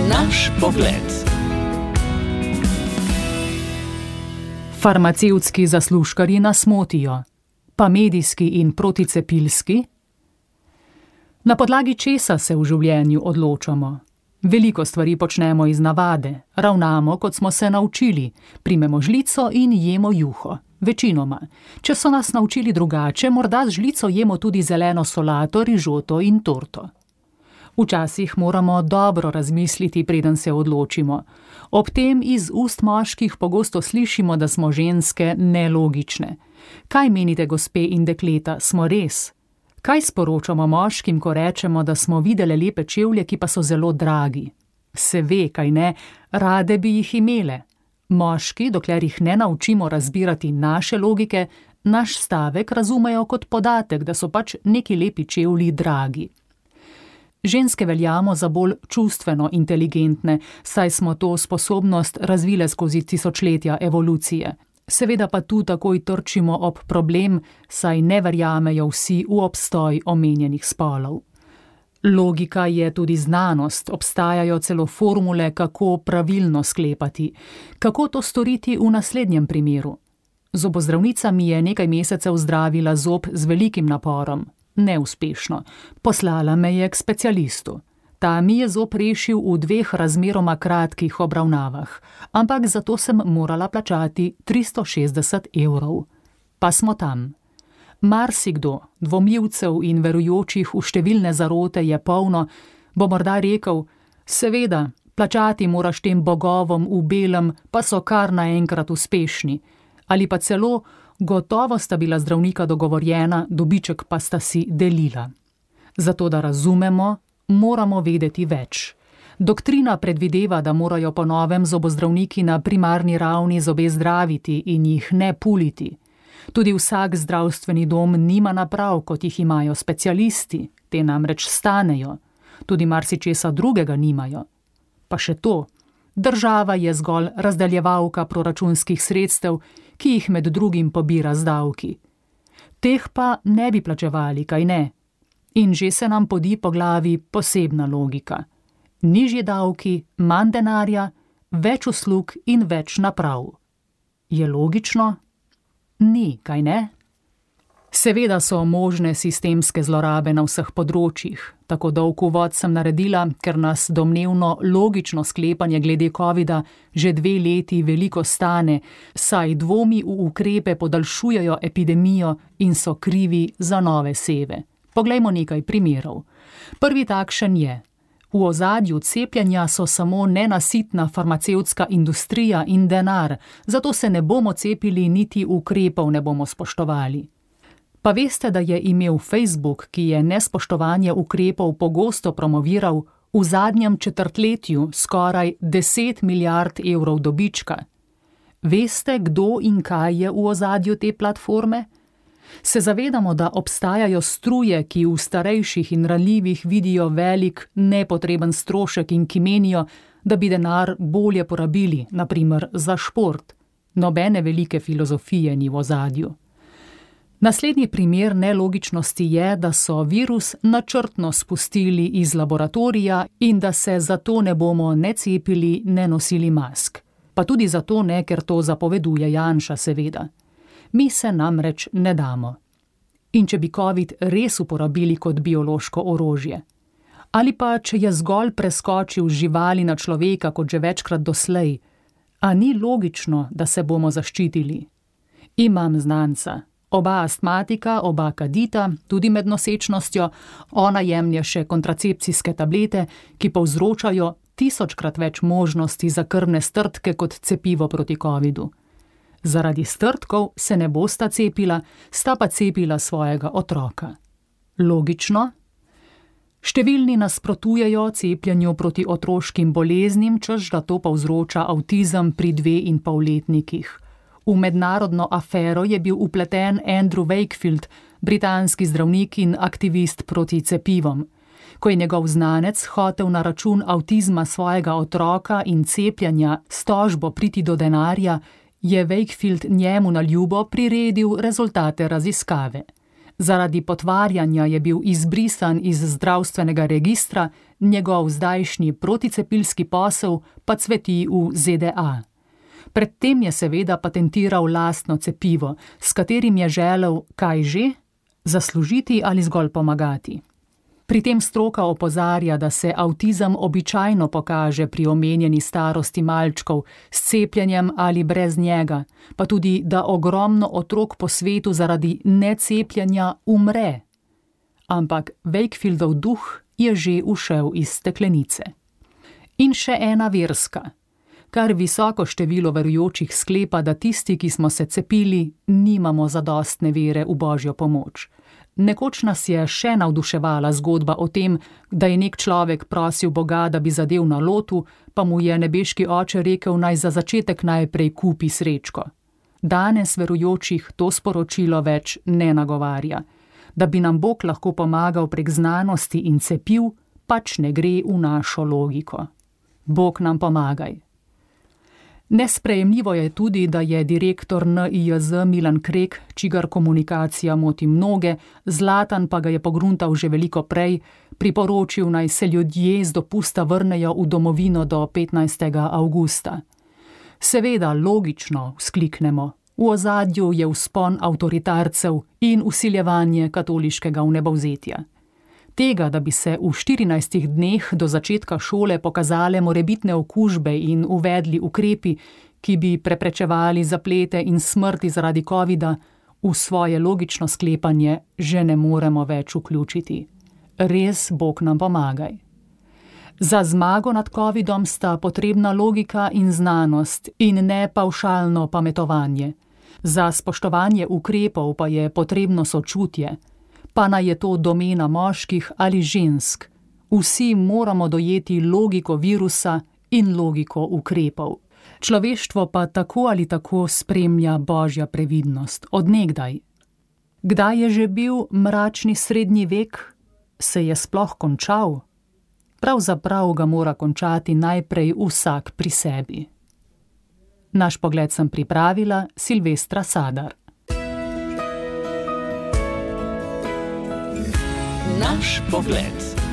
Naš pogled. Farmacevtski zaslužkarji nas motijo, pa medijski in proticepilski? Na podlagi česa se v življenju odločamo? Veliko stvari počnemo iz navade, ravnamo, kot smo se naučili, primemo žlico in jemo juho. Večinoma. Če so nas naučili drugače, morda z žlico jemo tudi zeleno solato, rižoto in torto. Včasih moramo dobro razmisliti, preden se odločimo. Ob tem iz ust moških pogosto slišimo, da smo ženske nelogične. Kaj menite, gospe in dekleta, smo res? Kaj sporočamo moškim, ko rečemo, da smo videle lepe čevlje, ki pa so zelo dragi? Se ve, kaj ne, rade bi jih imele. Moški, dokler jih ne naučimo razbirati naše logike, naš stavek razumejo kot podatek, da so pač neki lepi čevlji dragi. Ženske veljamo za bolj čustveno inteligentne, saj smo to sposobnost razvile skozi tisočletja evolucije. Seveda pa tu takoj trčimo ob problem, saj ne verjamejo vsi v obstoj omenjenih spolov. Logika je tudi znanost, obstajajo celo formule, kako pravilno sklepati. Kako to storiti v naslednjem primeru? Zobozdravnica mi je nekaj mesecev zdravila zob z velikim naporom. Neuspešno. Poslala me je k specialistu. Ta mi je zob rešil v 2 razmeroma kratkih obravnavah, ampak zato sem morala plačati 360 €. Pa smo tam. Marsikdo, dvomljivcev in verujočih v številne zarote je polno, bo morda rekel, seveda, plačati moraš tem bogovom v belem, pa so kar naenkrat uspešni. Ali pa celo, gotovo sta bila zdravnika dogovorjena, dobiček pa sta si delila. Zato, da razumemo, moramo vedeti več. Doktrina predvideva, da morajo po novem zobozdravniki na primarni ravni zobe zdraviti in jih ne puliti. Tudi vsak zdravstveni dom nima naprav, kot jih imajo specialisti, te namreč stanejo. Tudi marsičesa drugega nimajo. Pa še to, država je zgolj razdeljevalka proračunskih sredstev, ki jih med drugim pobira z davki. Teh pa ne bi plačevali, kaj ne? In že se nam podi po glavi posebna logika. Nižji davki, manj denarja, več uslug in več naprav. Je logično? Ni, kaj ne? Seveda so možne sistemske zlorabe na vseh področjih. Tako dolg uvod sem naredila, ker nas domnevno logično sklepanje glede covida že 2 leti veliko stane, saj dvomi v ukrepe podaljšujejo epidemijo in so krivi za nove seve. Poglejmo nekaj primerov. Prvi takšen je: v ozadju cepljenja so samo nenasitna farmacevtska industrija in denar, zato se ne bomo cepili niti ukrepov ne bomo spoštovali. Pa veste, da je imel Facebook, ki je nespoštovanje ukrepov pogosto promoviral, v zadnjem četrtletju skoraj 10 milijard € dobička? Veste, kdo in kaj je v ozadju te platforme? Se zavedamo, da obstajajo struje, ki v starejših in ranljivih vidijo velik, nepotreben strošek in ki menijo, da bi denar bolje porabili, na primer za šport. Nobene velike filozofije ni v ozadju. Naslednji primer nelogičnosti je, da so virus načrtno spustili iz laboratorija in da se zato ne bomo ne cepili, ne nosili mask. Pa tudi zato ne, ker to zapoveduje Janša, seveda. Mi se namreč ne damo. In če bi covid res uporabili kot biološko orožje? Ali pa, če je zgolj preskočil z živali na človeka, kot že večkrat doslej, a ni logično, da se bomo zaščitili? Imam znanca. Oba astmatika, oba kadita, tudi med nosečnostjo, ona jemlje še kontracepcijske tablete, ki povzročajo 1000-krat več možnosti za krvne strdke kot cepivo proti covidu. Zaradi strdkov se ne bosta cepila, sta pa cepila svojega otroka. Logično? Številni nasprotujejo cepljenju proti otroškim boleznim, češ da to povzroča avtizem pri 2,5-letnikih. V mednarodno afero je bil vpleten Andrew Wakefield, britanski zdravnik in aktivist proti cepivom. Ko je njegov znanec hotel na račun avtizma svojega otroka in cepljenja s tožbo priti do denarja, je Wakefield njemu na ljubo priredil rezultate raziskave. Zaradi potvarjanja je bil izbrisan iz zdravstvenega registra, njegov zdajšnji proticepilski posel pa cveti v ZDA. Predtem je seveda patentiral lastno cepivo, s katerim je želel, kaj že, zaslužiti ali zgolj pomagati. Pri tem stroka opozarja, da se avtizem običajno pokaže pri omenjeni starosti malčkov s cepljenjem ali brez njega, pa tudi, da ogromno otrok po svetu zaradi necepljenja umre. Ampak Wakefieldov duh je že ušel iz steklenice. In še ena verska. Kar visoko število verujočih sklepa, da tisti, ki smo se cepili, nimamo zadostne vere v Božjo pomoč. Nekoč nas je še navduševala zgodba o tem, da je nek človek prosil Boga, da bi zadev na lotu, pa mu je nebeški oče rekel, naj za začetek najprej kupi srečko. Danes verujočih to sporočilo več ne nagovarja. Da bi nam Bog lahko pomagal prek znanosti in cepiv, pač ne gre v našo logiko. Bog nam pomagaj. Nesprejemljivo je tudi, da je direktor NIJZ Milan Krek, čigar komunikacija moti mnoge, Zlatan pa ga je pogruntal že veliko prej, priporočil, naj se ljudje z dopusta vrnejo v domovino do 15. avgusta. Seveda logično, vzkliknemo, v ozadju je vzpon avtoritarcev in vsiljevanje katoliškega vnebovzetja. Tega, da bi se v 14 dneh do začetka šole pokazale morebitne okužbe in uvedli ukrepi, ki bi preprečevali zaplete in smrti zaradi covida, v svoje logično sklepanje že ne moremo več vključiti. Res Bog nam pomagaj. Za zmago nad covidom sta potrebna logika in znanost in ne pavšalno pametovanje. Za spoštovanje ukrepov pa je potrebno sočutje. Pa naj je to domena moških ali žensk. Vsi moramo dojeti logiko virusa in logiko ukrepov. Človeštvo pa tako ali tako spremlja Božja previdnost, od nekdaj. Kdaj je že bil mračni srednji vek? Se je sploh končal? Pravzaprav ga mora končati najprej vsak pri sebi. Naš pogled sem pripravila Silvestra Sadar. Naš pogled.